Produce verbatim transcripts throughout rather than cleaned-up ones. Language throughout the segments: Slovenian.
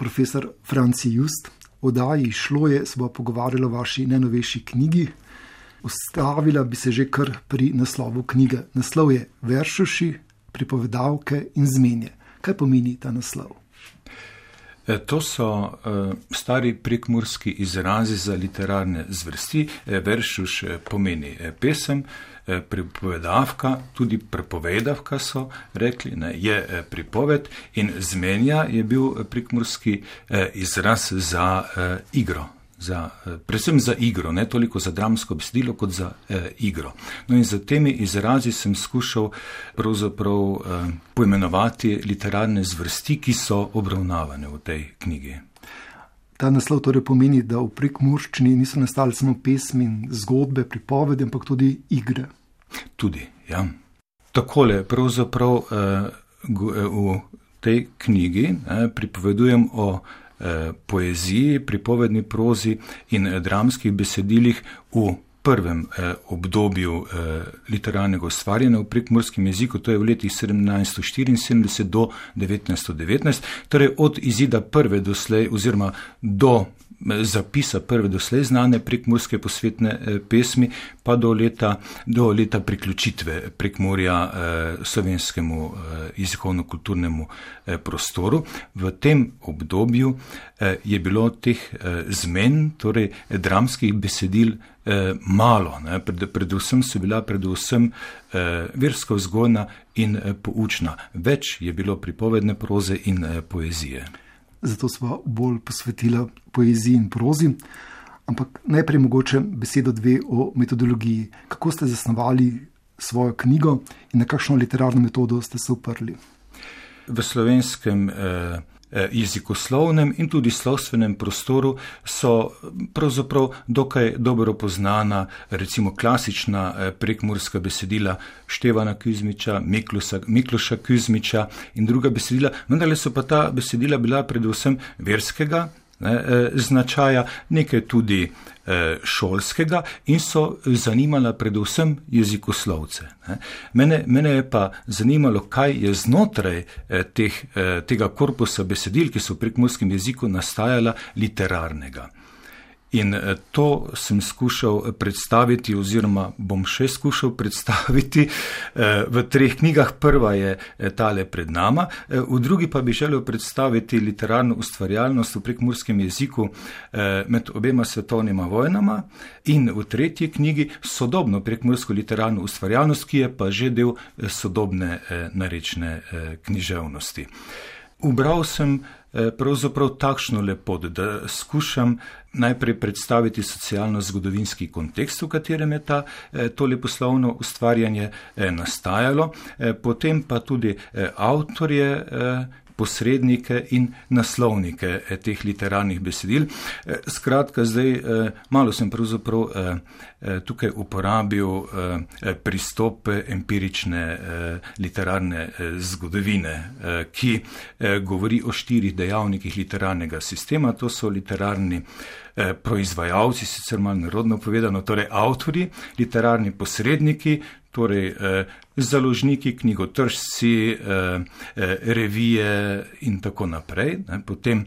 profesor Franci Just. V oddaji Šlo je se bo pogovarjalo o vaši najnovejši knjigi. Ustavila bi se že kar pri naslovu knjige. Naslov je Veršuši, pripovedavke in zmenje. Kaj pomeni ta naslov? To so uh, stari prekmurski izrazi za literarne zvrsti. Veršuš pomeni pesem, pripovedavka, tudi prepovedavka so rekli, ne, je pripoved, in zmenja je bil prekmurski uh, izraz za uh, igro. Za, predvsem za igro, ne toliko za dramsko besedilo, kot za eh, igro. No in za temi izrazi sem skušal pravzaprav eh, poimenovati literarne zvrsti, ki so obravnavane v tej knjigi. Ta naslov torej pomeni, da v prekmurščini niso nastale samo pesmi in zgodbe, pripovedi, ampak tudi igre. Tudi, ja. Takole, pravzaprav eh, v tej knjigi eh, pripovedujem o poeziji, pripovedni prozi in dramskih besedilih v prvem eh, obdobju eh, literarnega ustvarjanja v prekmurskem jeziku, to je v letih sedemnajststo štiriinsedemdeset do devetnajststo devetnajst, torej od izida prve doslej oziroma do zapisa prve doslej znane prekmurske posvetne eh, pesmi, pa do leta, do leta priključitve Prekmurja eh, slovenskemu eh, jezikovno-kulturnemu eh, prostoru. V tem obdobju eh, je bilo teh eh, zmen, torej dramskih besedil, eh, malo. Ne? Pred, predvsem so bila predvsem eh, versko vzgojna in eh, poučna. Več je bilo pripovedne proze in eh, poezije. Zato sva bolj posvetila poeziji in prozi, ampak najprej mogoče besedo dve o metodologiji. Kako ste zasnovali svojo knjigo in na kakšno literarno metodo ste se uprli? V slovenskem eh, jezikoslovnem in tudi slovstvenem prostoru so pravzaprav dokaj dobro poznana recimo klasična eh, prekmurska besedila Števana Kuzmiča, Miklusa, Mikluša Kuzmiča in druga besedila, vendar so pa ta besedila bila predvsem verskega ne, eh, značaja, nekaj tudi eh, šolskega in so zanimala predvsem jezikoslovce. Ne. Mene, mene je pa zanimalo, kaj je znotraj eh, teh, eh, tega korpusa besedil, ki so v prekmurskem jeziku nastajala, literarnega. In to sem skušal predstaviti oziroma bom še skušal predstaviti v treh knjigah. Prva je tale pred nama, v drugi pa bi želel predstaviti literarno ustvarjalnost v prekmurskem jeziku med obema svetovnima vojnama in v tretji knjigi sodobno prekmursko literarno ustvarjalnost, ki je pa že del sodobne narečne književnosti. Ubral sem pravzaprav takšno lepot, da skušam najprej predstaviti socialno-zgodovinski kontekst, v katerem je ta, to leposlovno ustvarjanje nastajalo, potem pa tudi avtorje, posrednike in naslovnike teh literarnih besedil. Skratka, zdaj malo sem pravzaprav tukaj uporabil pristop empirične literarne zgodovine, ki govori o štirih dejavnikih literarnega sistema. To so literarni proizvajalci, sicer malo narodno povedano, torej avtorji, literarni posredniki, torej eh, založniki, knjigotržci, eh, eh, revije in tako naprej. Ne. Potem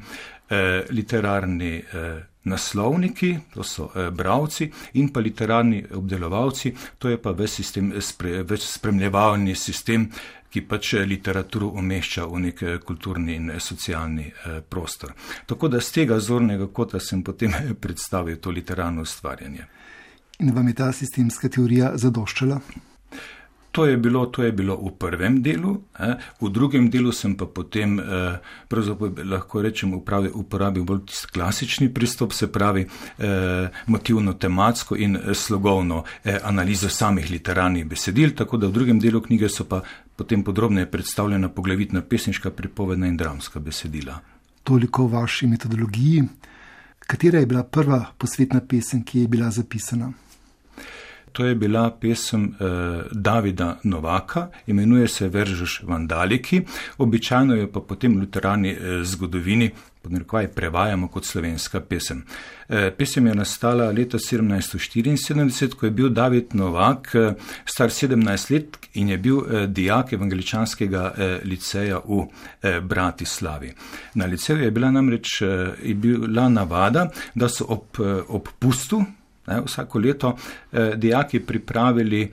eh, literarni eh, naslovniki, to so eh, bravci, in pa literarni obdelovalci, to je pa več sistem, spre, več spremljevalni sistem, ki pač literaturo umešča v nek kulturni in socialni eh, prostor. Tako da z tega zornega kota sem potem predstavil to literarno ustvarjanje. In vam je ta sistemska teorija zadoščala? To je bilo, to je bilo v prvem delu, eh. v drugem delu sem pa potem, eh, pravzaprav lahko rečem, upravi, uporabil bolj klasični pristop, se pravi eh, motivno-tematsko in slogovno eh, analizo samih literarnih besedil, tako da v drugem delu knjige so pa potem podrobneje predstavljena poglavitna pesniška, pripovedna in dramska besedila. Toliko o vaši metodologiji. Katera je bila prva posvetna pesem, ki je bila zapisana? To je bila pesem eh, Davida Novaka, imenuje se Veržeš vandaliki, običajno jo pa potem v luterani eh, zgodovini podnarekovaj prevajamo kot slovenska pesem. Eh, pesem je nastala leta sedemnajststo štiriinsedemdeset, ko je bil David Novak eh, star sedemnajst let in je bil eh, dijak evangeličanskega eh, liceja v eh, Bratislavi. Na liceju je bila namreč eh, je bila navada, da so ob, eh, ob pustu Ne, vsako leto eh, dijaki pripravili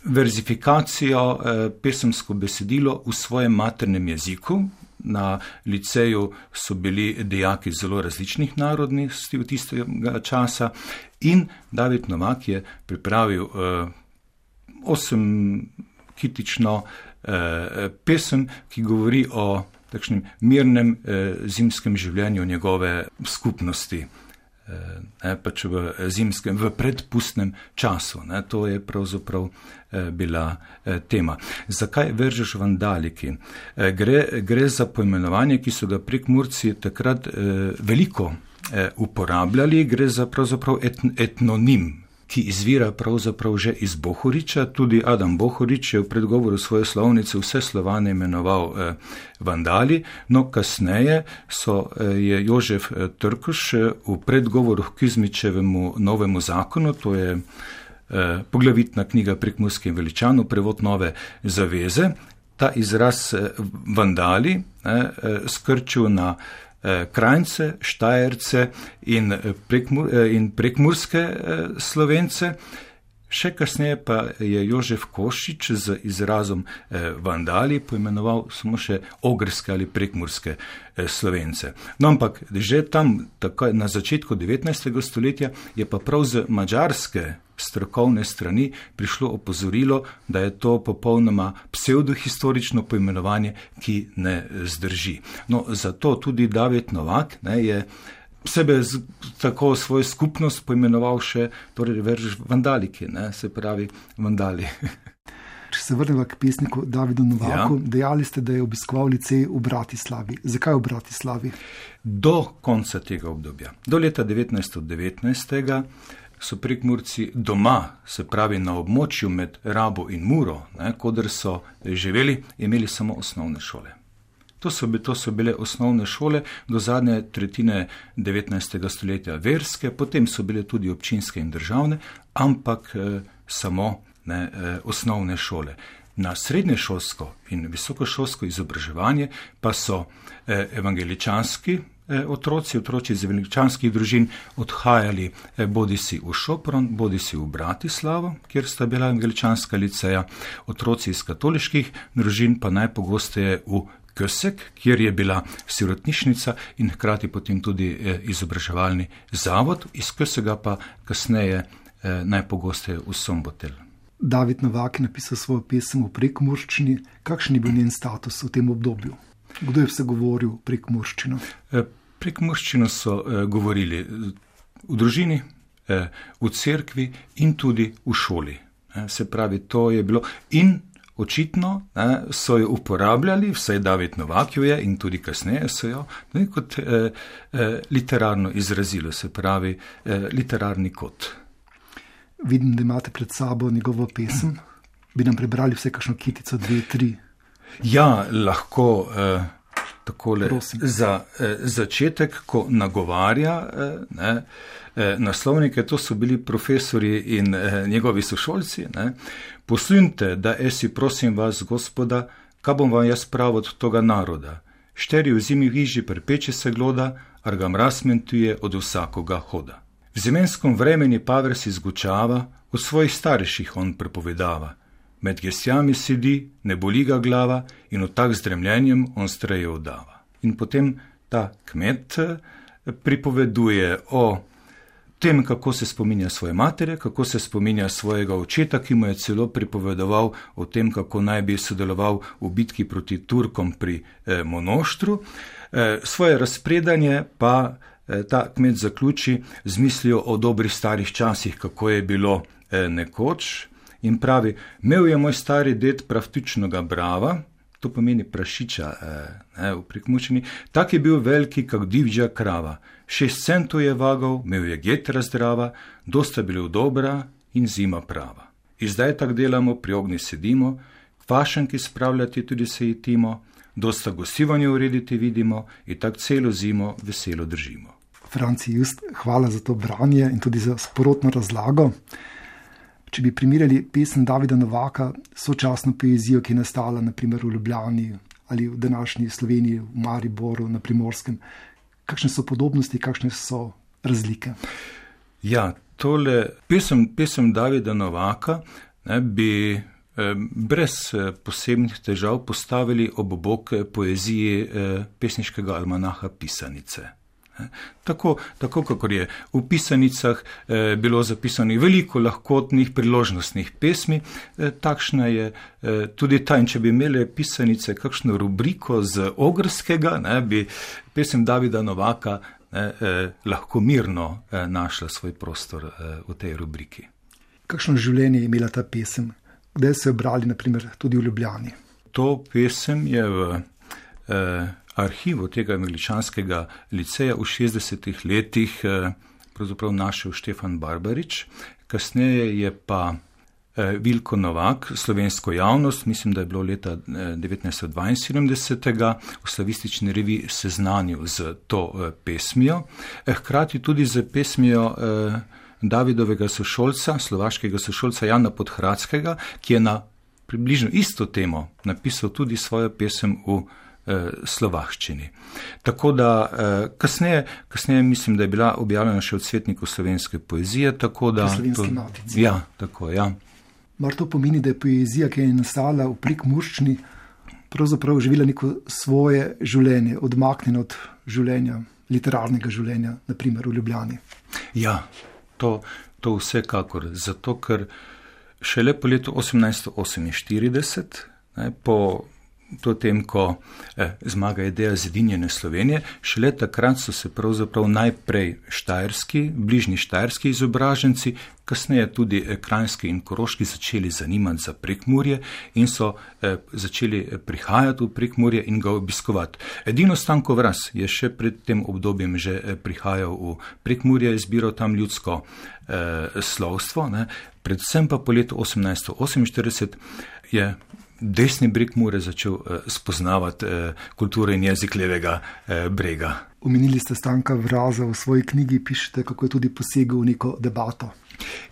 verzifikacijo, eh, pesemsko besedilo v svojem maternem jeziku. Na liceju so bili dijaki zelo različnih narodnosti v tistega časa in David Novak je pripravil eh, osem kitično eh, pesem, ki govori o takšnem mirnem eh, zimskem življenju njegove skupnosti. Ne, pač v zimskem, v predpustnem času. Ne, to je pravzaprav eh, bila eh, tema. Zakaj Veržeš vandaliki? Eh, gre, gre za poimenovanje, ki so ga Prekmurci takrat eh, veliko eh, uporabljali, gre za pravzaprav et, etnonim, ki izvira pravzaprav že iz Bohoriča. Tudi Adam Bohorič je v predgovoru svoje slovnice vse Slovane imenoval eh, vandali, no kasneje so, eh, je Jožef eh, Trkuš eh, v predgovoru k Kizmičevemu novemu zakonu, to je eh, poglavitna knjiga Prekmurskih veličanov, prevod Nove zaveze, ta izraz eh, vandali eh, skrčil na Krajnce, Štajerce in, prekmur, in prekmurske Slovence. Še kasneje pa je Jožef Košič z izrazom vandali poimenoval samo še ogrske ali prekmurske Slovence. No, ampak že tam, tako, na začetku devetnajstega stoletja, je pa prav z madžarske strokovne strani prišlo opozorilo, da je to popolnoma pseudohistorično poimenovanje, ki ne zdrži. No, zato tudi David Novak ne, je sebe z, tako svojo skupnost poimenoval še, torej Veržeš vandaliki, ne, se pravi vandali. Če se vrnemo k pesniku Davidu Novaku, ja. Dejali ste, da je obiskoval licej v Bratislavi. Zakaj v Bratislavi? Do konca tega obdobja, do leta devetnajststo devetnajst so Prekmurci doma, se pravi na območju med Rabo in Muro, ne, kodr so živeli, imeli samo osnovne šole. To so, to so bile osnovne šole do zadnje tretjine devetnajstega stoletja verske, potem so bile tudi občinske in državne, ampak eh, samo ne, eh, osnovne šole. Na srednješolsko in visokošolsko izobraževanje pa so eh, evangeličanski otroci, otroci iz evangeličanskih družin odhajali bodisi v Šopron, bodisi v Bratislavo, kjer sta bila evangeličanska liceja, otroci iz katoliških družin pa najpogosteje v Kösek, kjer je bila sirotnišnica in hkrati potem tudi izobraževalni zavod, iz Kösega pa kasneje najpogosteje v Sombotel. David Novak je napisal svojo pesem v prekmurščini. Kakšen je bil njen status v tem obdobju? Kdo je vse govoril prekmurščino? Prekmurščino so eh, govorili v družini, eh, v cerkvi in tudi v šoli. Eh, se pravi, to je bilo in očitno eh, so jo uporabljali, vsaj David Novak jo je in tudi kasneje so jo, ne, kot eh, eh, literarno izrazilo, se pravi eh, literarni kot. Vidim, da imate pred sabo njegovo pesem. Bi nam prebrali vse kakšno kitico, dve, tri? Ja, lahko eh, takole za eh, začetek, ko nagovarja eh, ne, eh, naslovnike, to so bili profesori in eh, njegovi sošolci. Ne. Poslušajte, da esi prosim vas, Gospoda, kaj bom vam jaz prav od toga naroda. Šteri v zimi v hiži prepeče se gloda, ar ga mraz mentuje od vsakoga hoda. V zimenskom vremeni paver si zgučava, od svojih starejših on prepovedava. Med gesjami sedi, ne boli ga glava in od tak zdremljenjem on streje odava. In potem ta kmet pripoveduje o tem, kako se spominja svoje matere, kako se spominja svojega očeta, ki mu je celo pripovedoval o tem, kako naj bi sodeloval v bitki proti Turkom pri eh, Monoštru. Eh, svoje razpredanje pa eh, ta kmet zaključi z mislijo o dobrih starih časih, kako je bilo eh, nekoč. In pravi, imel je moj stari ded pravtičnega brava, to pomeni prašiča eh, v Prekmurščini, tak je bil veliki, kak divja krava. Šest centov je vagal, imel je getra zdrava, dosta bil dobra in zima prava. I zdaj tak delamo, pri ognju sedimo, kvašenki spravljati tudi se jetimo, dosta gostivanje urediti vidimo in tak celo zimo veselo držimo. Franci Just, hvala za to branje in tudi za sprotno razlago. Če bi primerjali pesem Davida Novaka s sočasno poezijo, ki je nastala naprimer v Ljubljani ali v današnji Sloveniji, v Mariboru, na Primorskem, kakšne so podobnosti, kakšne so razlike? Ja, tole pesem, pesem Davida Novaka ne, bi eh, brez eh, posebnih težav postavili ob bok poeziji eh, pesniškega almanaha Pisanice. Tako, tako kakor je v pisanicah eh, bilo zapisano veliko lahkotnih priložnostnih pesmi, eh, takšna je eh, tudi ta. In če bi imeli pisanice kakšno rubriko z ogrskega, ne, bi pesem Davida Novaka ne, eh, lahko mirno eh, našla svoj prostor eh, v tej rubriki. Kakšno življenje je imela ta pesem? Kdaj se je brali, naprimer, tudi v Ljubljani? To pesem je v eh, arhivu tega angličanskega liceja v šestdesetih letih eh, pravzaprav našel Štefan Barbarič. Kasneje je pa eh, Vilko Novak slovensko javnost, mislim, da je bilo leta eh, devetnajststo dvainsedemdeset v slavistični reviji seznanil z to eh, pesmijo, eh, hkrati tudi z pesmijo eh, Davidovega sošolca, slovaškega sošolca Jana Podhradskega, ki je na približno isto temo napisal tudi svojo pesem v slovaščini. Tako da kasneje, kasneje mislim, da je bila objavljena še v Cvetniku slovenske poezije, tako da... V Slovenski matici. Ja, tako, ja. Mar to pomeni, da je poezija, ki je nastala v prekmurščini, pravzaprav živela neko svoje življenje, odmaknjeno od življenja, literarnega življenja, naprimer v Ljubljani? Ja, to, to vsekakor, zato ker šele po letu osemnajststo oseminštirideset, ne, po to tem, ko eh, zmaga ideja zedinjene Slovenije, šele takrat so se pravzaprav najprej štajerski, bližnji štajerski izobraženci, kasneje tudi eh, kranjski in koroški začeli zanimati za Prekmurje in so eh, začeli prihajati v Prekmurje in ga obiskovati. Edino Stanko Vraz je še pred tem obdobjem že eh, prihajal v Prekmurje, izbiral tam ljudsko eh, slovstvo, ne. Predvsem pa po letu osemnajststo oseminštirideset je desni breg Mure začel eh, spoznavati eh, kulturo in jezik levega eh, brega. Omenili ste Stanka Vraza, v svoji knjigi pišete, kako je tudi posegel v neko debato.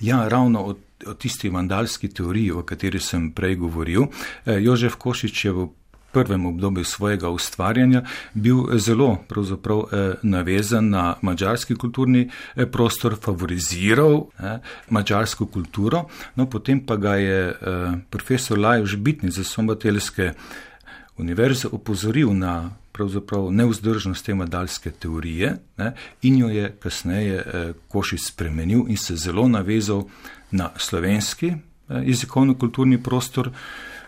Ja, ravno o, o tisti vandalski teoriji, o kateri sem prej govoril. Eh, Jožef Košič je v prvem obdobju svojega ustvarjanja bil zelo pravzaprav eh, navezan na madžarski kulturni eh, prostor, favoriziral eh, madžarsko kulturo, no potem pa ga je eh, profesor Lajos Bitnic z Sombateljske univerze opozoril na pravzaprav nevzdržnost te vandalske teorije, ne, in jo je kasneje eh, Košič spremenil in se zelo navezal na slovenski eh, jezikovno-kulturni prostor.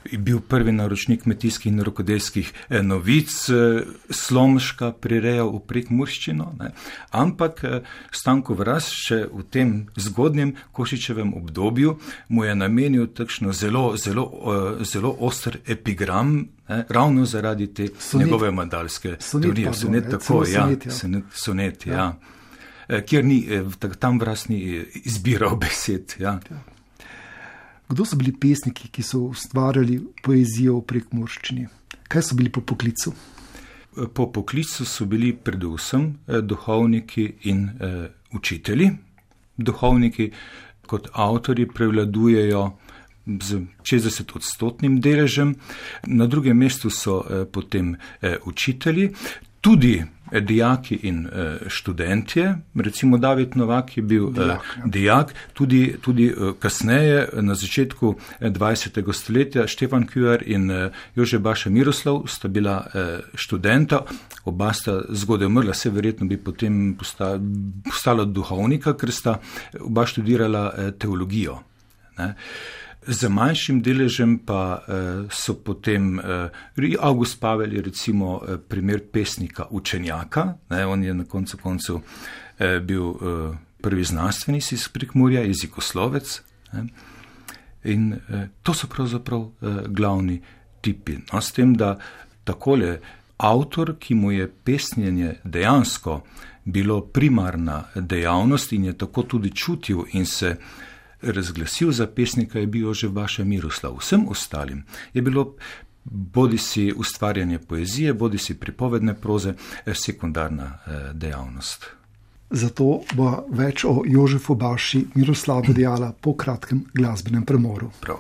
Je bil prvi naročnik kmetijskih in rokodelskih eh, novic, eh, Slomška prirejal v prekmurščino, ne. Ampak eh, Stanko Vraz še v tem zgodnjem Košičevem obdobju mu je namenil takšno zelo, zelo, eh, zelo oster epigram, ne, ravno zaradi te sonet, njegove madalske teorije. Sonet, tako, ja, sonet, ja. Sonet, sonet, ja. Ja. Eh, kjer ni, eh, tam Vraz ni izbiral besed, ja. Ja. Kdo so bili pesniki, ki so ustvarjali poezijo v prekmurščini? Kaj so bili po poklicu? Po poklicu so bili predvsem duhovniki in eh, učitelji. Duhovniki kot avtorji prevladujejo z šestdesetodstotnim deležem, na drugem mestu so eh, potem eh, učitelji, tudi dijaki in uh, študentje, recimo David Novak je bil dijak, uh, dijak tudi, tudi uh, kasneje, na začetku dvajsetega stoletja, Štefan Kujar in uh, Jože Baša Miroslav sta bila uh, študenta, oba sta zgodaj umrla, se verjetno bi potem postala, postala duhovnika, ker sta oba študirala uh, teologijo. Ne? Z manjšim deležem pa eh, so potem eh, August Pavel je recimo eh, primer pesnika učenjaka, ne, on je na koncu koncu eh, bil eh, prvi znanstvenik iz Prekmurja, jezikoslovec, ne, in eh, to so pravzaprav eh, glavni tipi. No, s tem, da takole avtor, ki mu je pesnjenje dejansko bilo primarna dejavnost in je tako tudi čutil in se razglasil za pesnika, je bil Jožef Baša Miroslav. Vsem ostalim je bilo bodi si ustvarjanje poezije, bodi si pripovedne proze, sekundarna dejavnost. Zato bo več o Jožefu Baši Miroslavu dejala po kratkem glasbenem premoru. Prav.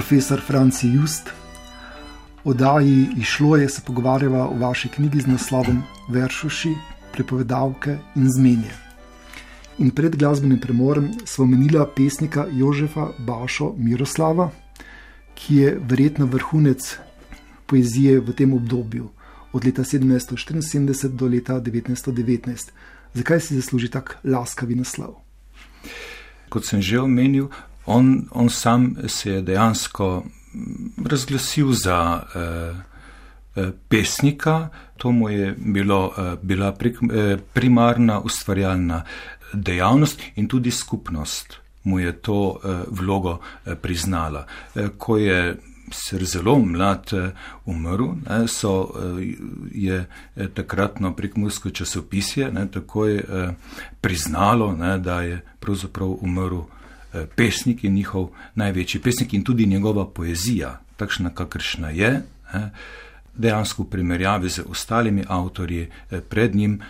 Profesor Franci Just, o oddaji Išlo je se pogovarjava o vaši knjigi z naslovom Veršuši, pripovedavke in zmenje. In pred glasbenim premorem sva omenila pesnika Jožefa Bašo Miroslava, ki je verjetno vrhunec poezije v tem obdobju, od leta sedemnajststo štiriinsedemdeset do leta devetnajststo devetnajst. Zakaj si zasluži tak laskavi naslov? Kot sem že omenil, On, on sam se je dejansko razglasil za eh, pesnika, to mu je bilo, eh, bila pri, eh, primarna ustvarjalna dejavnost in tudi skupnost mu je to eh, vlogo eh, priznala. Eh, ko je ser zelo mlad eh, umrl, eh, so, eh, je eh, takratno prekmursko časopisje ne, takoj eh, priznalo, ne, da je pravzaprav umrl pesnik in njihov največji pesnik in tudi njegova poezija, takšna kakršna je, dejansko v primerjavi z ostalimi avtorji pred njim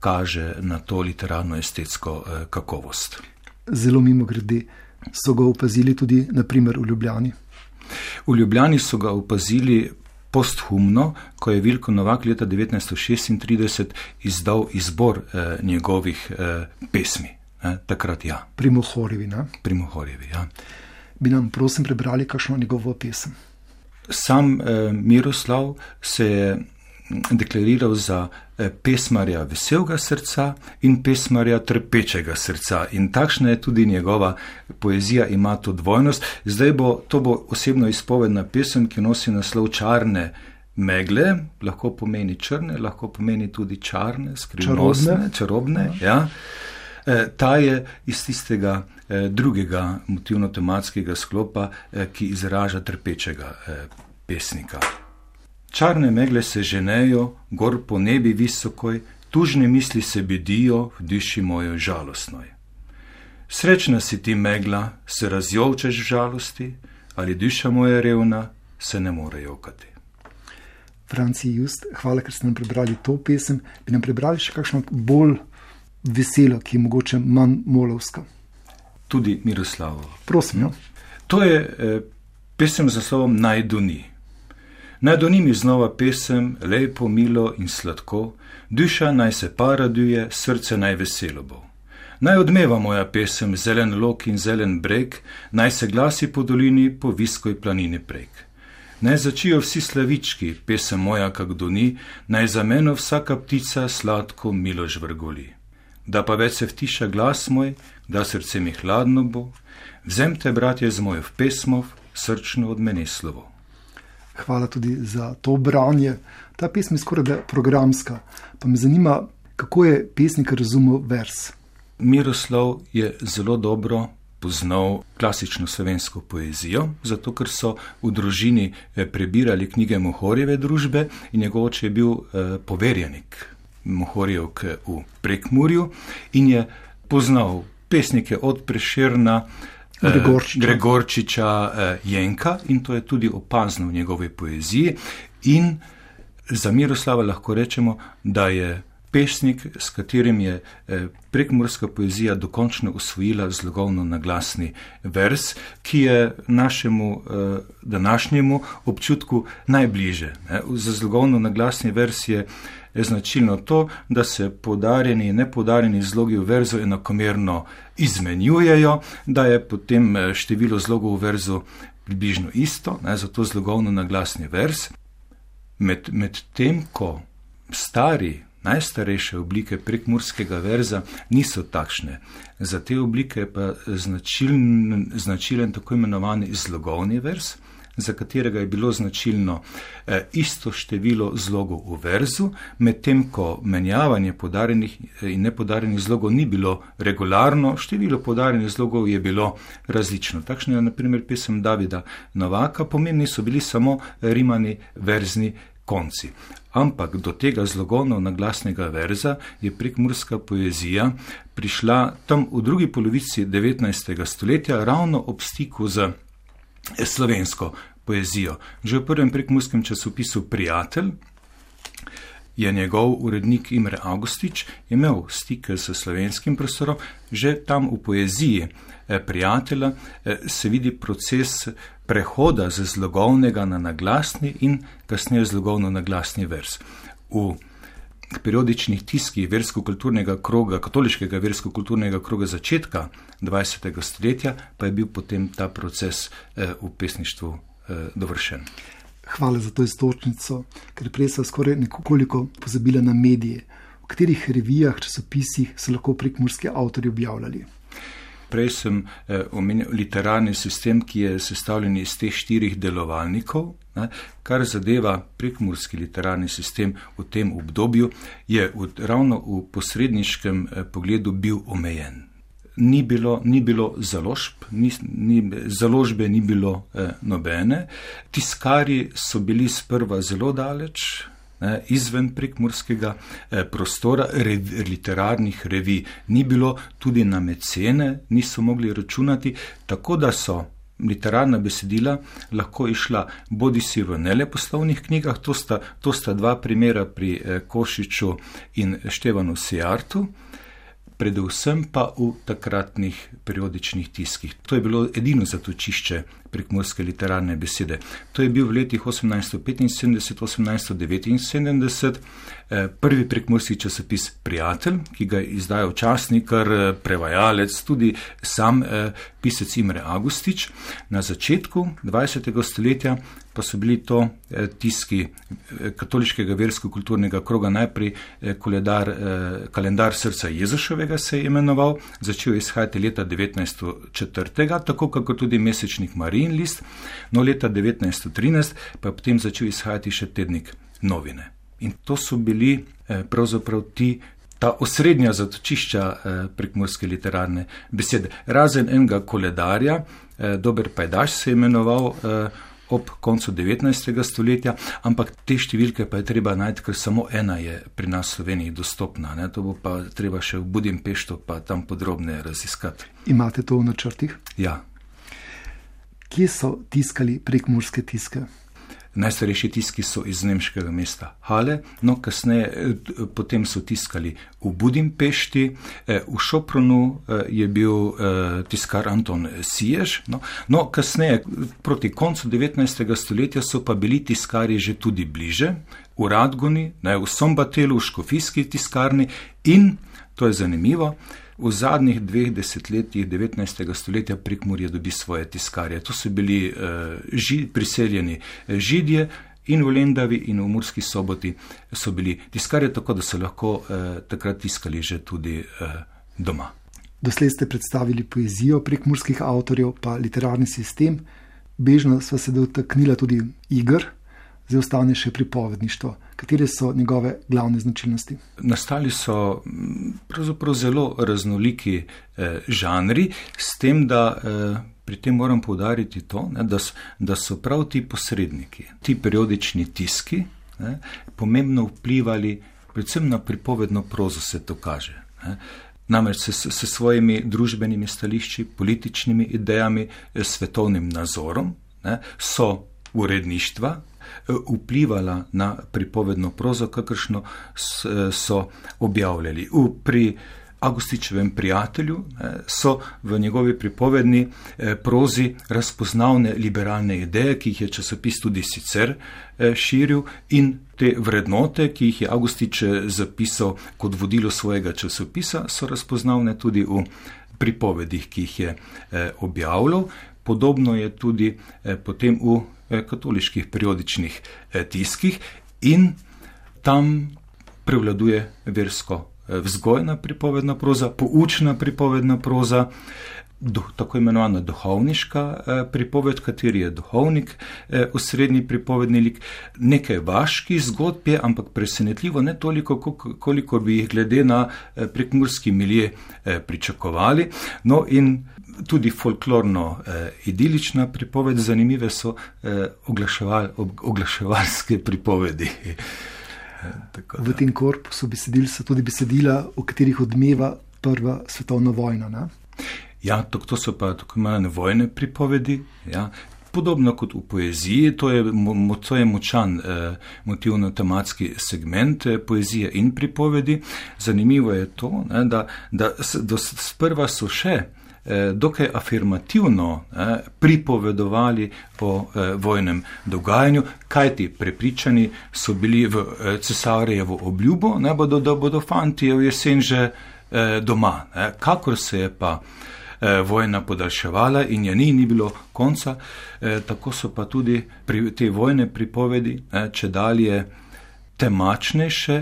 kaže na to literarno-estetsko kakovost. Zelo mimogrede so ga opazili tudi na primer v Ljubljani. V Ljubljani so ga opazili posthumno, ko je Vilko Novak leta devetnajststo šestintrideset izdal izbor njegovih pesmi. E, takrat ja. Pri Mohorjevi, ne? Pri Mohorjevi, ja. Bi nam prosim prebrali kakšno njegovo pesem? Sam eh, Miroslav se je deklariral za eh, pesmarja veselega srca in pesmarja trpečega srca. In takšna je tudi njegova poezija, ima to dvojnost. Zdaj bo, to bo osebno izpovedna pesem, ki nosi naslov Čarne megle, lahko pomeni črne, lahko pomeni tudi čarne, skrivnostne, čarobne, čarobne ja. Ta je iz tistega eh, drugega motivno-tematskega sklopa, eh, ki izraža trpečega eh, pesnika. Čarne megle se ženejo, gor po nebi visokoj, tužne misli se bedijo v duši mojo žalostnoj. Srečna si ti megla, se razjolčeš v žalosti, ali duša moja revna se ne more jokati. Franci Just, hvala, ker ste nam prebrali to pesem. Bi nam prebrali še kakšno bolj veselo, ki je mogoče manj molovska? Tudi Miroslavovo. Prosim, jo. To je eh, pesem z naslovom Naj doni. Naj doni mi znova pesem, lepo, milo in sladko, duša naj se pa raduje, srce naj veselo bo. Naj odmeva moja pesem, zelen lok in zelen breg, naj se glasi po dolini, po viskoj planini prek. Naj začijo vsi slavički, pesem moja kak doni, naj za meno vsaka ptica sladko milo žvrgoli. Da pa več se vtiša glas moj, da srce mi hladno bo, vzemte, bratje, z mojo v pesmov, srčno od mene slovo. Hvala tudi za to branje. Ta pesem je skoraj da programska, pa me zanima, kako je pesnik razumel vers. Miroslav je zelo dobro poznal klasično slovensko poezijo, zato ker so v družini prebirali knjige Mohorjeve družbe in njegov oče je bil eh, poverjenik Mohorjevk v Prekmurju in je poznal pesnike od Prešerna, Gregorčiča, Gregorčiča Jenka in to je tudi opazno v njegovi poeziji. In za Miroslava lahko rečemo, da je pesnik, s katerim je prekmurska poezija dokončno usvojila zlogovno naglasni vers, ki je našemu današnjemu občutku najbliže. Za zlogovno naglasni vers je značilno to, da se poudarjeni in nepoudarjeni zlogi v verzu enakomerno izmenjujejo, da je potem število zlogov v verzu približno isto, ne, zato zlogovno naglasni vers. Med, med tem, ko stari, najstarejše oblike prekmurskega verza niso takšne. Za te oblike je pa značilen, značilen tako imenovani zlogovni vers, za katerega je bilo značilno eh, isto število zlogov v verzu, medtem ko menjavanje podarjenih in nepodarjenih zlogov ni bilo regularno, število podarjenih zlogov je bilo različno. Takšna je na primer pesem Davida Novaka, pomembni so bili samo rimani verzni konci. Ampak do tega zlogovno naglasnega verza je prekmurska poezija prišla tam v drugi polovici devetnajstega stoletja ravno ob stiku z slovensko poezijo. Že v prvem prekmurskem časopisu Prijatelj je njegov urednik Imre Augustič imel stike s slovenskim prostorom. Že tam v poeziji Prijatelja se vidi proces prehoda z zlogovnega na naglasni in kasneje zlogovno naglasni vers. V periodičnih tiskih versko-kulturnega kroga, katoliškega versko-kulturnega kroga začetka dvajsetega stoletja pa je bil potem ta proces eh, v pesništvu eh, dovršen. Hvala za to istočnico, ker prej so skoraj nekoliko pozabila na medije. V katerih revijah, časopisih so lahko prekmurski avtorji objavljali? Prej sem eh, omenil literarni sistem, ki je sestavljen iz teh štirih delovalnikov. Ne, kar zadeva prekmurski literarni sistem v tem obdobju, je v, ravno v posredniškem eh, pogledu bil omejen. Ni bilo, ni bilo založb, ni, ni, založbe ni bilo eh, nobene. Tiskarji so bili sprva zelo daleč, ne, izven prekmurskega eh, prostora, rev, literarnih revij ni bilo, tudi na mecene niso mogli računati, tako da so literarna besedila lahko išla bodisi v neleposlovnih knjigah, to sta, to sta dva primera pri eh, Košiču in Števanu Sijartu, predvsem pa v takratnih periodičnih tiskih. To je bilo edino zatočišče prekmurske literarne besede. To je bil v letih osemnajststo petinsedemdeset do osemnajststo devetinsedemdeset eh, prvi prekmurski časopis Prijatelj, ki ga je izdajal časnikar, prevajalec, tudi sam eh, pisec Imre Augustič. Na začetku dvajsetega stoletja pa so bili to eh, tiski eh, katoliškega versko-kulturnega kroga, najprej eh, koledar, eh, kalendar srca Jezuševega se je imenoval, začel je izhajati leta devetnajststo četrtega, tako kako tudi mesečnik Marijin list, no leta devetnajststo trinajst pa je potem začel izhajati še tednik Novine. In to so bili eh, pravzaprav ti ta osrednja zatočišča eh, prekmurske literarne besede. Razen enega koledarja, eh, Dober pajdaš se je imenoval eh, ob koncu devetnajstega stoletja, ampak te številke pa je treba najti, ker samo ena je pri nas v Sloveniji dostopna. Ne? To bo pa treba še v Budimpeštu pa tam podrobneje raziskati. Imate to v načrtih? Ja. Kje so tiskali prekmurske tiske? Najstarejši tiski so iz nemškega mesta Hale, no kasneje potem so tiskali v Budimpešti, v Šopronu je bil tiskar Anton Siež, no, no kasneje proti koncu devetnajstega stoletja so pa bili tiskari že tudi bliže, v Radgoni, ne, v Sombatelu, v škofijski tiskarni in, to je zanimivo, v zadnjih dveh desetletjih devetnajstega stoletja Prekmurje dobi svoje tiskarje. To so bili uh, ži, priseljeni Židje in v Lendavi in v Murski Soboti so bili tiskarje, tako da so lahko uh, takrat tiskali že tudi uh, doma. Doslej ste predstavili poezijo prekmurskih avtorjev, pa literarni sistem. Bežno sva se dotaknila tudi iger, zdaj ostane še pripovedništvo. Katere so njegove glavne značilnosti? Nastali so pravzaprav zelo raznoliki eh, žanri, s tem, da eh, pri tem moram poudariti to, ne, da, so, da so prav ti posredniki, ti periodični tiski, ne, pomembno vplivali predvsem na pripovedno prozo, se to kaže. Ne. Namreč s, s svojimi družbenimi stališči, političnimi idejami, svetovnim nazorom, ne, so uredništva, vplivala na pripovedno prozo, kakršno so objavljali. V, pri Avgustičevem prijatelju so v njegovi pripovedni prozi razpoznavne liberalne ideje, ki jih je časopis tudi sicer širil, in te vrednote, ki jih je Avgustič zapisal kot vodilo svojega časopisa, so razpoznavne tudi v pripovedih, ki jih je objavljal. Podobno je tudi potem v katoliških periodičnih tiskih in tam prevladuje versko vzgojna pripovedna proza, poučna pripovedna proza, do, tako imenovana duhovniška eh, pripoved, kateri je duhovnik, eh, osrednji pripovedni lik, nekaj vaških zgodb je, ampak presenetljivo ne toliko, koliko bi jih glede na eh, prekmurski milje eh, pričakovali. No in tudi folklorno eh, idilična pripoved, zanimive so eh, oglaševal, oglaševalske pripovedi. V tem korpusu besedil so tudi besedila, o katerih odmeva prva svetovna vojna. Ne? Ja, to, to so pa tako imenovane vojne pripovedi. Ja. Podobno kot v poeziji, to je, mo, to je močan eh, motivno-tematski segment eh, poezije in pripovedi. Zanimivo je to, ne, da, da do, sprva so še dokaj afirmativno eh, pripovedovali o eh, vojnem dogajanju, kajti prepričani so bili v eh, cesarjevo obljubo, ne bodo, da bodo fanti v jesen že eh, doma. Eh, kakor se je pa eh, vojna podaljševala in je ni, ni bilo konca, eh, tako so pa tudi pri, te vojne pripovedi eh, če dalje temačnejše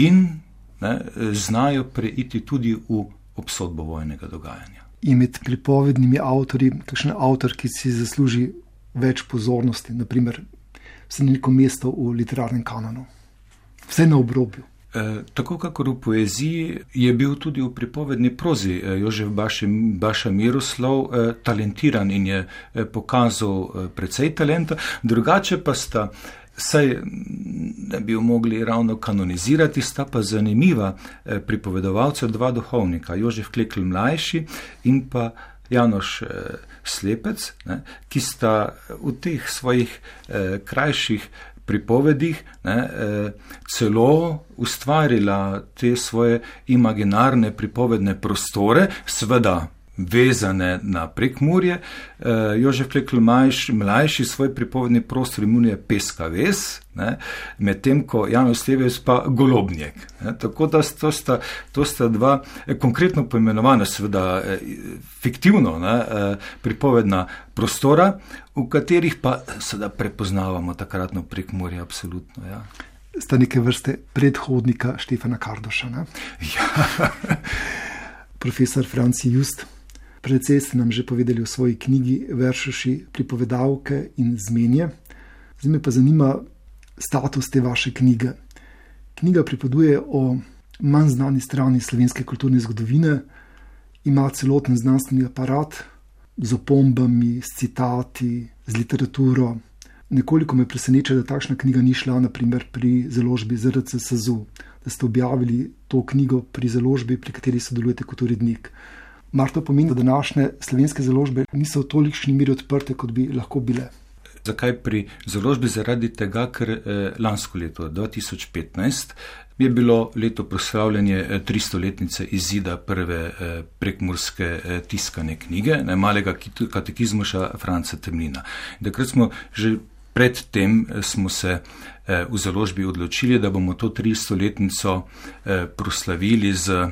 in ne, znajo preiti tudi v obsodbo vojnega dogajanja. In med pripovednimi avtorji, kakšen avtor, ki si zasluži več pozornosti, naprimer, vse neko mesto v literarnem kanonu, vse na obrobju. E, tako kakor v poeziji je bil tudi v pripovedni prozi e, Jožef Baša, Baša Miroslav e, talentiran in je e, pokazal e, precej talenta, drugače pa sta, saj ne bi jo mogli ravno kanonizirati, sta pa zanimiva eh, pripovedovalca, dva duhovnika, Jožef Klekl mlajši in pa Janoš eh, Slepec, ne, ki sta v teh svojih eh, krajših pripovedih ne, eh, celo ustvarila te svoje imaginarne pripovedne prostore, seveda vezane na Prekmurje. Uh, Jožef Klekl mlajši svoj pripovedni prostor imenuje Peska ves, medtem ko Janez Slepec pa Golobnjek. Ne? Tako da to sta, to sta dva eh, konkretno poimenovana, seveda eh, fiktivno ne, eh, pripovedna prostora, v katerih pa seveda prepoznavamo takratno Prekmurje absolutno. Ja. Sta neke vrste predhodnika Štefana Kardoša. Ne? Ja. Profesor Franci Just, precej ste nam že povedali o svoji knjigi Veršuši, pripovedavke in zmenje. Zdaj me pa zanima status te vaše knjige. Knjiga pripoveduje o manj znani strani slovenske kulturne zgodovine, ima celoten znanstveni aparat z opombami, s citati, z literaturo. Nekoliko me preseneča, da takšna knjiga ni šla naprimer pri založbi Z R C S Z U, da ste objavili to knjigo pri založbi, pri kateri sodelujete kot urednik. Mar to pomeni, da današnje slovenske založbe niso v tolikšni meri odprte, kot bi lahko bile? Zakaj pri založbi? Zaradi tega, ker eh, lansko leto, dva tisoč petnajst, je bilo leto proslavljanje eh, tristoletnice izida prve eh, prekmurske eh, tiskane knjige, ne, malega katekizmuša Franca Temlina. Takrat smo že predtem smo se eh, v založbi odločili, da bomo to tristoletnico eh, proslavili z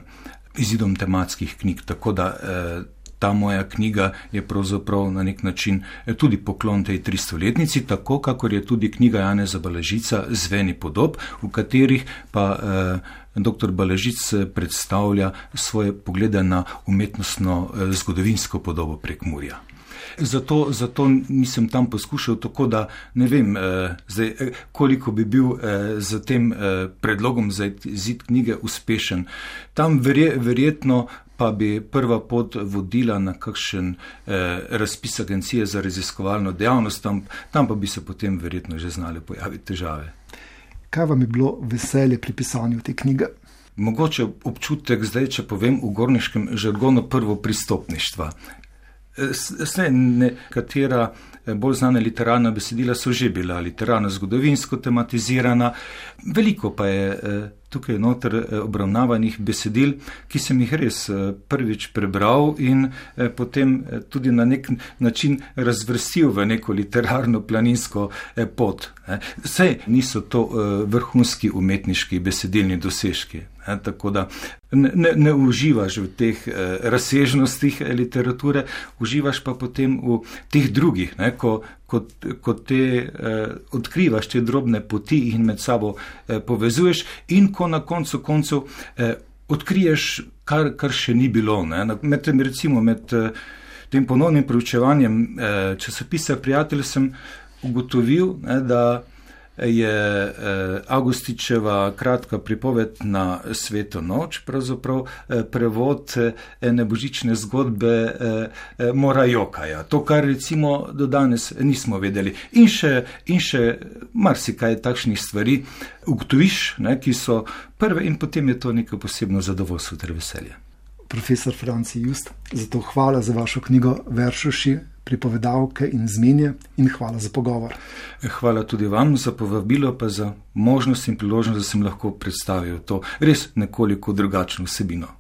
izidom tematskih knjig, tako da eh, ta moja knjiga je pravzaprav na nek način tudi poklon tej tristoletnici, tako kakor je tudi knjiga Janeza Balažica Zveni podob, v katerih pa eh, dr. Balažic predstavlja svoje poglede na umetnostno eh, zgodovinsko podobo Prekmurja. Zato, zato nisem tam poskušal tako, da ne vem, eh, zdaj, koliko bi bil eh, za tem eh, predlogom za izid knjige uspešen. Tam verje, verjetno pa bi prva pot vodila na kakšen eh, razpis agencije za raziskovalno dejavnost, tam, tam pa bi se potem verjetno že znali pojaviti težave. Kaj vam je bilo veselje pri pisanju te knjige? Mogoče občutek zdaj, če povem v gorniškem žargonu, prvo pristopništva. Saj nekatera bolj znana literarna besedila so že bila literarno zgodovinsko tematizirana, veliko pa je tukaj noter obravnavanih besedil, ki sem jih res prvič prebral in potem tudi na nek način razvrstil v neko literarno planinsko pot. Saj niso to vrhunski umetniški besedilni dosežki. E, tako da ne, ne uživaš v teh eh, razsežnostih literature, uživaš pa potem v teh drugih, ne, ko, ko, ko te eh, odkrivaš te drobne poti in med sabo eh, povezuješ in ko na koncu koncev eh, odkriješ, kar, kar še ni bilo. Ne. Med tem, recimo med eh, tem ponovnim preučevanjem eh, časopisa Prijatelj sem ugotovil, ne, da je Avgustičeva kratka pripoved na Sveto noč, pravzaprav prevod ene božične zgodbe Morajokaja. To, kar recimo do danes nismo vedeli. In še, in še marsikaj takšnih stvari ugotoviš, ne, ki so prve in potem je to neko posebno zadovoljstvo ter veselje. Profesor Franci Just, zato hvala za vašo knjigo Veršuši, pripovedavke in zmenje in hvala za pogovor. Hvala tudi vam za povabilo, pa za možnost in priložnost, da sem lahko predstavil to res nekoliko drugačno vsebino.